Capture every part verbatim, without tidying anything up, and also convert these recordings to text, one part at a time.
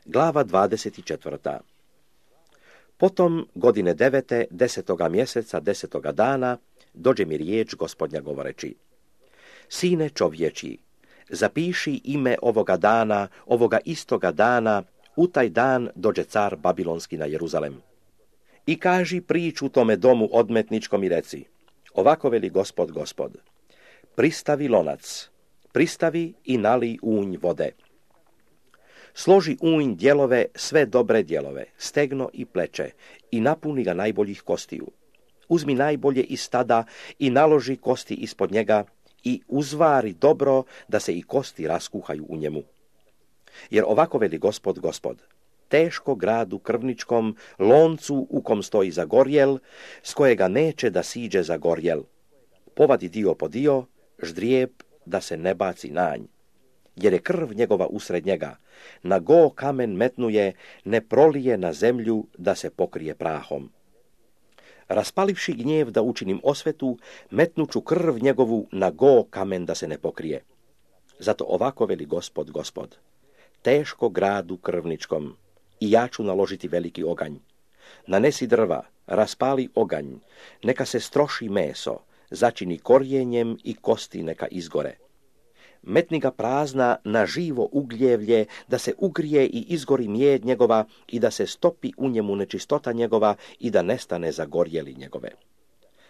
Glava dvadeset četvrta. Potom godine devete, desetoga mjeseca, desetoga dana, dođe mi riječ Gospodnja govoreći: Sine čovječi, zapiši ime ovoga dana, ovoga istoga dana, u taj dan dođe car Babilonski na Jeruzalem. I kaži priču tome domu odmetničkom i reci: Ovako veli Gospod, Gospod, pristavi lonac, pristavi i nali unj vode. Složi unj dijelove, sve dobre dijelove, stegno i pleće, i napuni ga najboljih kostiju. Uzmi najbolje iz stada i naloži kosti ispod njega i uzvari dobro da se i kosti raskuhaju u njemu. Jer ovako veli Gospod, Gospod, teško gradu krvničkom, loncu u kom stoji zagorjel, s kojega neće da siđe zagorjel. Povadi dio po dio, ždrijeb da se ne baci nanj. Jer je krv njegova usred njega, na go kamen metnuje, ne prolije na zemlju da se pokrije prahom. Raspalivši gnjev da učinim osvetu, metnuću krv njegovu na go kamen da se ne pokrije. Zato ovako veli Gospod, Gospod, teško gradu krvničkom, i ja ću naložiti veliki oganj. Nanesi drva, raspali oganj, neka se stroši meso, začini korjenjem i kosti neka izgore. Metni ga prazna na živo ugljevlje, da se ugrije i izgori mijed njegova i da se stopi u njemu nečistota njegova i da nestane zagorjeli njegove.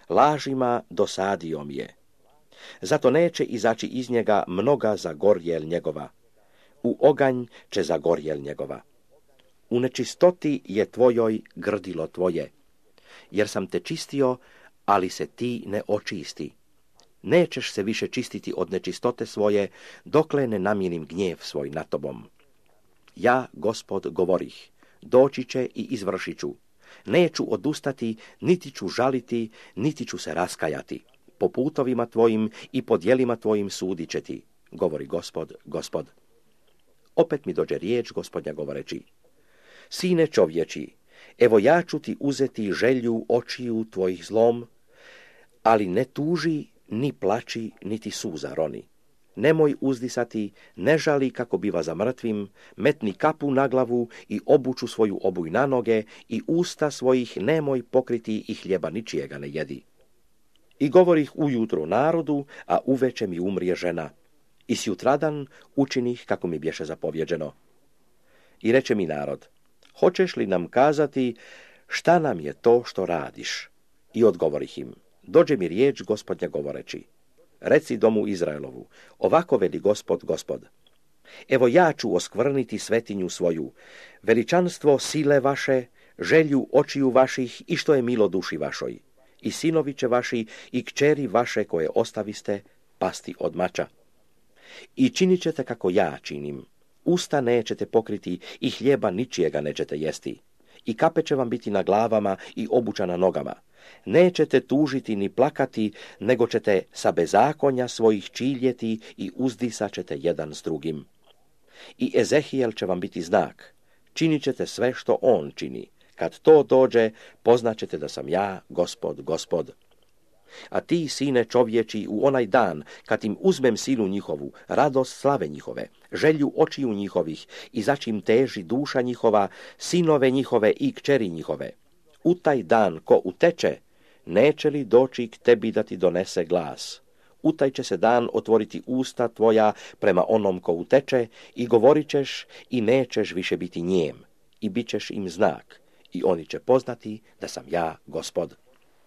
Lažima dosadio mi je. Zato neće izaći iz njega mnoga zagorjel njegova. U oganj će zagorjel njegova. U nečistoti je tvojoj grdilo tvoje, jer sam te čistio, ali se ti ne očisti. Nećeš se više čistiti od nečistote svoje, dokle ne namirim gnjev svoj nad tobom. Ja, Gospod, govorih, doći će i izvršit ću. Neću odustati, niti ću žaliti, niti ću se raskajati. Po putovima tvojim i po djelima tvojim sudit će ti, govori Gospod, Gospod. Opet mi dođe riječ Gospodnja govoreći: Sine čovječi, evo ja ću ti uzeti želju očiju tvojih zlom, ali ne tuži, ni plači, niti suza roni. Nemoj uzdisati, ne žali kako biva za mrtvim, metni kapu na glavu i obuču svoju obuj na noge i usta svojih nemoj pokriti i hljeba ničijega ne jedi. I govorih ujutro narodu, a uveče mi umrije žena. I sjutradan učinih kako mi bješe zapovjeđeno. I reče mi narod: Hoćeš li nam kazati šta nam je to što radiš? I odgovorih im: Dođe mi riječ Gospodnja govoreći: Reci domu Izraelovu, ovako veli Gospod, Gospod. Evo ja ću oskvrniti svetinju svoju, veličanstvo sile vaše, želju očiju vaših i što je milo duši vašoj. I sinovi će vaši i kćeri vaše koje ostaviste pasti od mača. I činit ćete kako ja činim. Usta nećete pokriti i hljeba ničijega nećete jesti. I kape će vam biti na glavama i obuća na nogama. Nećete tužiti ni plakati, nego ćete sa bezakonja svojih čiljeti i uzdisat ćete jedan s drugim. I Ezehijel će vam biti znak. Činit ćete sve što on čini. Kad to dođe, poznaćete da sam ja, Gospod, Gospod. A ti, sine čovječi, u onaj dan, kad im uzmem silu njihovu, radost slave njihove, želju očiju njihovih i začim teži duša njihova, sinove njihove i kćeri njihove, u taj dan ko uteče, neće li doći k tebi da ti donese glas? U taj će se dan otvoriti usta tvoja prema onom ko uteče i govorit ćeš i nećeš više biti njem i bit ćeš im znak i oni će poznati da sam ja, Gospod.